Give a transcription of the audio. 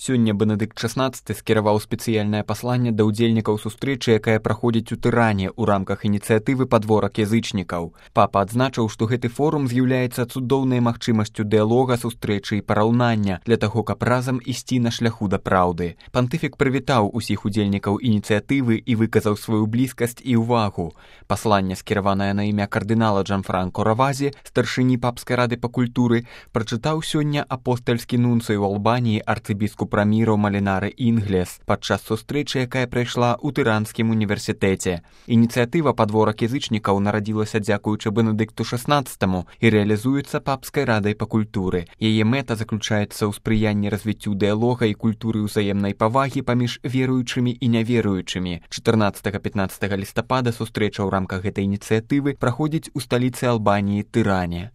Сёння Бенедыкт XVI скіраваў спецыяльнае пасланне да ўдзельнікаў сустрэчы, якая праходзіць у Тыране ў рамках ініцыятывы «Падворак язычнікаў». Папа адзначыў, што гэты форум з'яўляецца цудоўнай магчымасцю дыялога, сустрэчы і параўнання для таго, каб разам ісці на шляху да праўды. Пантыфік прывітаў усіх удзельнікаў ініцыятывы і выказаў сваю блізкасць і ўвагу. Пасланне, скіраванае на імя кардынала Джанфранко Равазі, старшыні папскай рады па культуры, прачытаў сёння апостальскі нунцый у Албаніі арцыбіскуп Раміро Малінары Інглес падчас сустрэчы, якая прайшла ў Тыранскім універсітэце. Ініцыятыва «Падворак язычнікаў» нарадзілася дзякуючы Бенедыкту XVI і рэалізуецца папскай радай па культуры. Яе мэта заключаецца ў спрыянні развіццю дыялога і культуры ўзаемнай павагі паміж веруючымі і няверуючымі. 14-15 лістапада сустрэча ў рамках гэтай ініцыятывы праходзіць у сталіцы Албаніі Тыране.